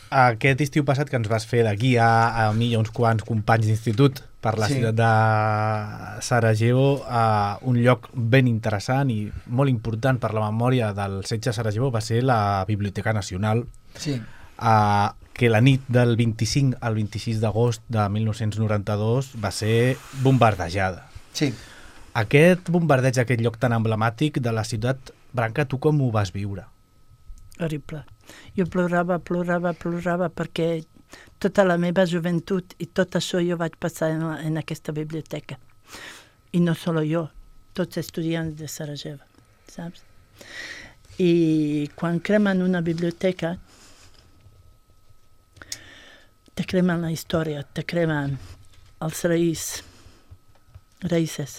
Aquest estiu passat que ens vas fer de guia a mi i a uns quants companys d'institut per la ciutat de Sarajevo, un lloc ben interessant i molt important per la memòria del setge de Sarajevo va ser la Biblioteca Nacional, que la nit del 25 al 26 d'agost de 1992 va ser bombardejada. Sí. Aquest bombardeig, aquest lloc tan emblemàtic de la ciutat, Branca, tu com ho vas viure? Horrible. Jo plorava perquè tota la meva joventut i tot això jo vaig passar en aquesta biblioteca. I no solo jo, tots estudiants de Sarajevo, saps? I quan cremen una biblioteca, te cremen la història, te cremen els raïces.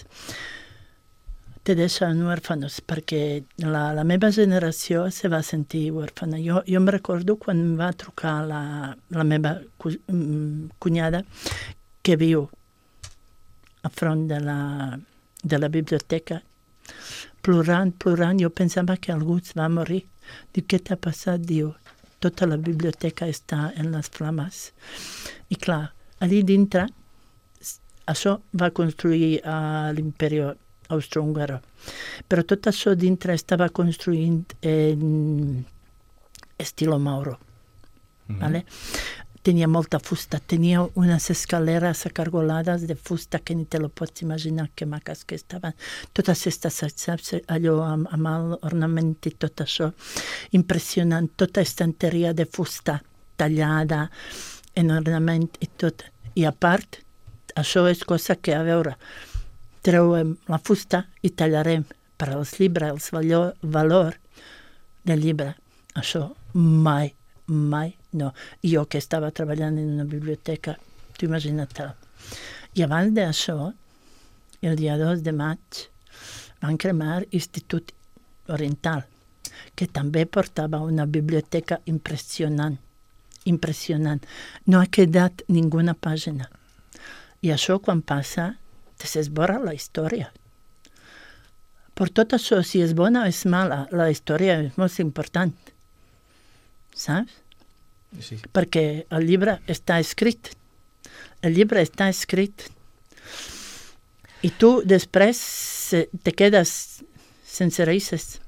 Te deixen huérfanos, perquè la meva generació se va sentir huérfana. Jo em recordo quan em va trucar la meva cunyada, que viu a front de la biblioteca, plorant. Jo pensava que algú es va morir. Diu, què t'ha passat? Diu, tota la biblioteca està en les flames. I clar, allí dintre, això va construir l'imperi austro-húngaro. Però tot això dintre estava construint en estilo Mauro. ¿Vale? Tenia molta fusta, tenia unes escaleres acargolades de fusta que ni te lo pots imaginar que maques que estaven. Totes aquestes, saps, allò amb l'ornament i tot això, impressionant, tota estanteria de fusta tallada en ornament i tot. I a part, això és cosa que, a veure, treuem la fusta i tallarem per als llibres, el valor del llibre. Això mai no. Jo que estava treballant en una biblioteca, t'ho imagina't. I abans d'això, el dia 2 de maig, van cremar Institut Oriental, que també portava una biblioteca impressionant. No ha quedat ninguna pàgina. I això, quan passa, s'esborra la història. Per tot això, si és bona o és mala, la història és molt important. Saps? Sí. Perquè el llibre està escrit. I tu després te quedes sense raïces.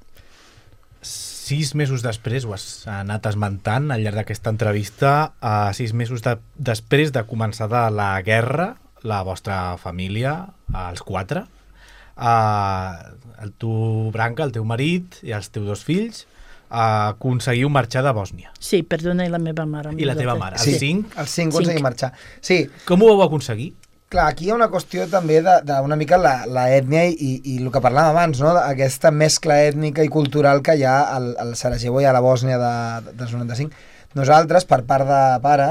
6 mesos després, ho has anat esmentant al llarg d'aquesta entrevista, 6 mesos després de començar la guerra, la vostra família, els 4, tu, Branca, el teu marit i els teus 2 fills, aconseguiu marxar de Bòsnia. Sí, perdona, i la meva mare. I la teva mare. Sí, els 5? Els 5 aconseguim marxar. Sí. Com ho vau aconseguir? Clar, aquí hi ha una qüestió també d'una mica la ètnia i el que parlàvem abans, no? Aquesta mescla ètnica i cultural que hi ha al Sarajevo i a la Bòsnia dels 95. Nosaltres, per part de pare,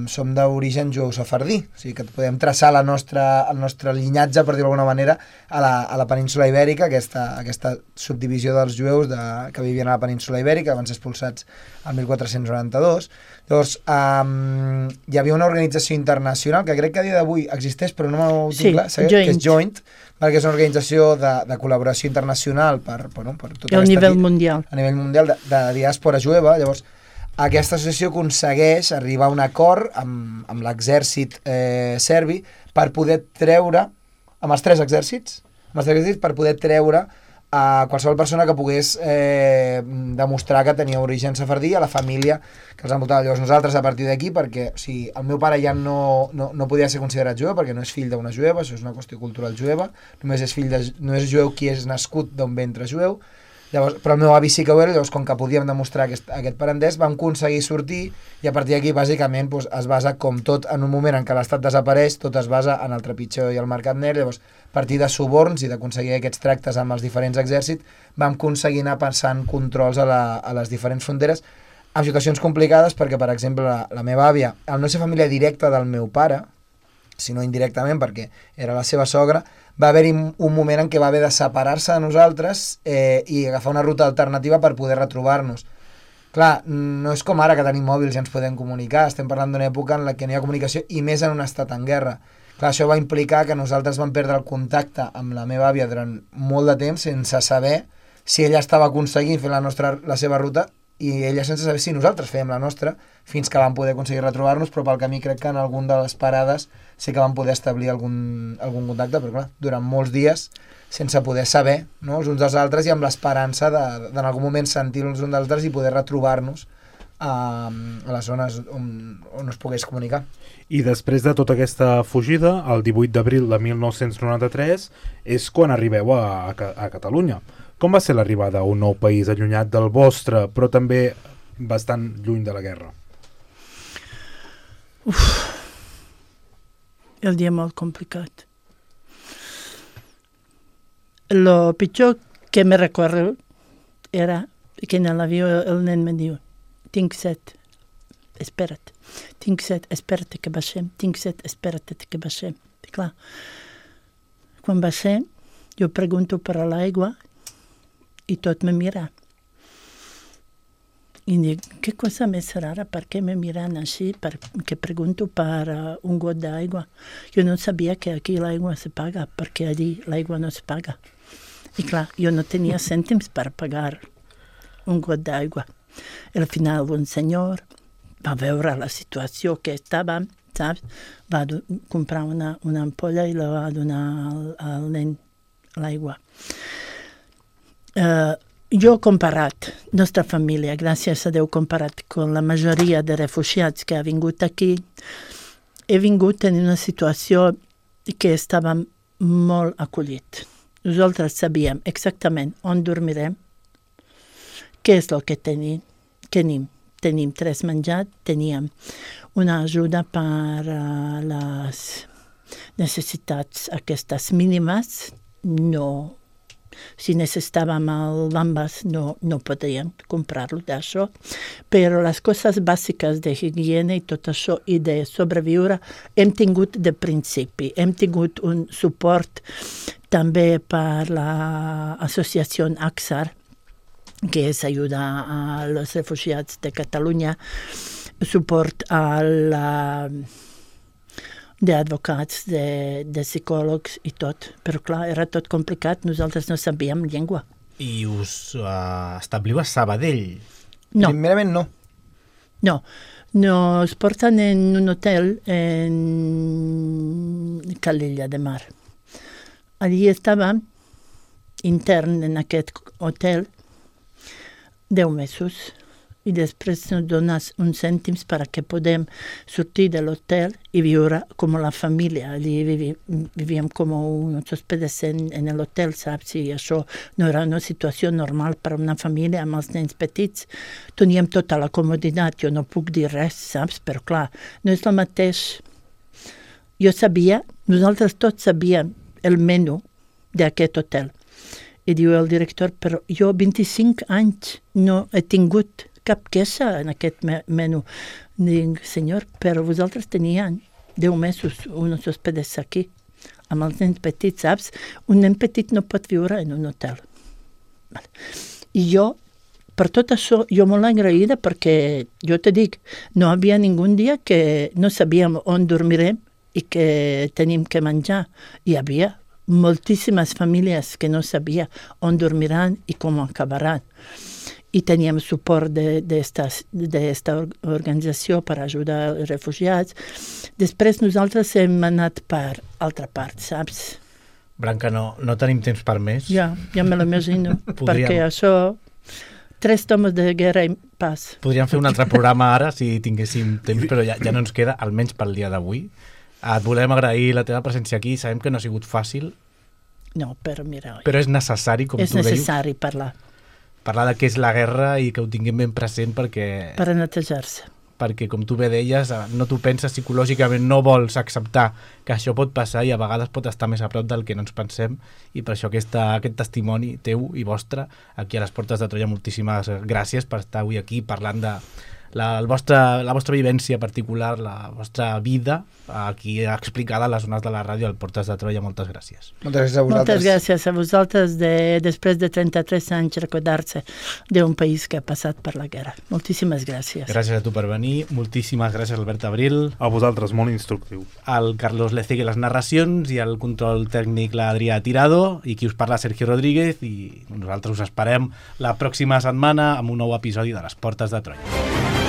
som d'origen jueu sefardí, o sigui que podem traçar el nostre llinatge, per dir-ho d'alguna manera, a la península Ibèrica, aquesta subdivisió dels jueus que vivien a la península Ibèrica, que van ser expulsats el 1492. Llavors, hi havia una organització internacional que crec que a dia d'avui existeix, però no m'ho tinc clar, que és Joint, perquè és una organització de col·laboració internacional per tot a nivell mundial. A nivell mundial de diàspora jueva. Llavors, aquesta associació aconsegueix arribar a un acord amb l'exèrcit serbi per poder treure, amb els 3 exèrcits, per poder treure a qualsevol persona que pogués demostrar que tenia origen sefardí a la família que els envoltava. Llavors nosaltres, a partir d'aquí, perquè el meu pare ja no podia ser considerat jueu perquè no és fill d'una jueva, això és una qüestió cultural jueva, només és jueu qui és nascut d'un ventre jueu. Llavors, però el meu avi sí que ho era, llavors com que podíem demostrar aquest parentès vam aconseguir sortir i a partir d'aquí bàsicament es basa com tot en un moment en què l'estat desapareix, tot es basa en el trepitjor i el mercat negre. Llavors a partir de suborns i d'aconseguir aquests tractes amb els diferents exèrcits vam aconseguir anar passant controls a les diferents fronteres amb situacions complicades perquè, per exemple, la meva àvia, al no ser família directa del meu pare, sinó indirectament perquè era la seva sogra, va haver-hi un moment en què va haver de separar-se de nosaltres i agafar una ruta alternativa per poder retrobar-nos. Clar, no és com ara que tenim mòbils i ens podem comunicar, estem parlant d'una època en la que no hi ha comunicació i més en un estat en guerra. Clar, això va implicar que nosaltres vam perdre el contacte amb la meva àvia durant molt de temps sense saber si ella estava aconseguint fer la seva ruta i ella sense saber si nosaltres fèiem la nostra, fins que vam poder aconseguir retrobar-nos, però pel camí crec que en algun de les parades sí que vam poder establir algun contacte, però clar, durant molts dies sense poder saber, no, els uns dels altres i amb l'esperança d'en algun moment sentir els uns dels altres i poder retrobar-nos a les zones on es pogués comunicar. I després de tota aquesta fugida, el 18 d'abril de 1993, és quan arribeu a Catalunya. Com va ser l'arribada a un nou país allunyat del vostre, però també bastant lluny de la guerra? El dia molt complicat. Lo pitjor que me recordo era que en l'avió el nen me diu tinc set, espera't, tinc set, espera't que baixem, tinc set, espera't que baixem. I clar, quan baixem, jo pregunto per a l'aigua i tot me mira. I dic, què cosa més rara, per què me miran així, perquè pregunto per un got d'aigua. Jo no sabia que aquí l'aigua se paga, perquè allí l'aigua no se paga. I clar, jo no tenia cèntims per pagar un got d'aigua. Al final un senyor va veure la situació que estàvem, saps? Va comprar una ampolla i la va donar al nen l'aigua. Jo comparat, nostra família, gràcies a Déu comparat amb la majoria de refugiats que ha vingut aquí, he vingut en una situació que estàvem molt acollit. Nosaltres sabíem exactament on dormirem, què és el que tenim. Tenim 3 menjats, teníem una ajuda per les necessitats aquestes mínimes, no. Si necessitàvem el bambes no podíem comprar-lo d'això, però les coses bàsiques de higiene i tot això i de sobreviure hem tingut de principi. Hem tingut un suport també per l'associació AXAR, que és ajuda als refugiats de Catalunya, suport d'advocats, de psicòlegs i tot. Però clar, era tot complicat, nosaltres no sabíem llengua. I us establiu a Sabadell? No. Primerament no. No, nos porten en un hotel en Calella de Mar. Allí estàvem intern en aquest hotel 10 mesos. I després ens dones uns cèntims perquè podem sortir de l'hotel i viure com la família. Allí vivíem com uns hospedes en l'hotel, saps? I això no era una situació normal per a una família amb els nens petits. Teníem tota la comoditat, jo no puc dir res, saps? Però clar, no és el mateix. Jo sabia, nosaltres tots sabíem el menú d'aquest hotel. I diu el director, però jo 25 anys no he tingut cap queixa en aquest menú. Dic, senyor, però vosaltres teníem 10 mesos uns hospedes aquí, amb els nens petits, saps? Un nen petit no pot viure en un hotel. I jo, per tot això, jo molt agraïda perquè, jo te dic, no hi havia ningú dia que no sabíem on dormirem i que tenim que menjar. Hi havia moltíssimes famílies que no sabien on dormiran i com acabaran. I teníem suport d'esta organització per ajudar els refugiats. Després nosaltres hem anat per altra part, saps? Branca, no tenim temps per més. Ja me l'imagino, perquè això, 3 tomes de guerra i pas. Podríem fer un altre programa ara, si tinguéssim temps, però ja no ens queda, almenys pel dia d'avui. Et volem agrair la teva presència aquí, sabem que no ha sigut fàcil. No, però mira... Però és necessari, com tu deies. És necessari parlar de què és la guerra i que ho tinguem ben present perquè... Per a netejar-se. Perquè, com tu bé deies, no t'ho penses psicològicament, no vols acceptar que això pot passar i a vegades pot estar més a prop del que no ens pensem i per això aquest testimoni teu i vostre aquí a les Portes de Troia, moltíssimes gràcies per estar avui aquí parlant de la vostra vivència particular, la vostra vida aquí explicada a les zones de la ràdio al Portes de Troia. Moltes gràcies. Moltes gràcies a vosaltres. Moltes gràcies a vosaltres després de 33 anys recordar-se d'un país que ha passat per la guerra. Moltíssimes gràcies. Gràcies a tu per venir. Moltíssimes gràcies, Albert Abril. A vosaltres, molt instructiu. Al Carlos Lecegui les narracions i al control tècnic l'Adrià Tirado i qui us parla Sergio Rodríguez i nosaltres us esperem la pròxima setmana amb un nou episodi de les Portes de Troia.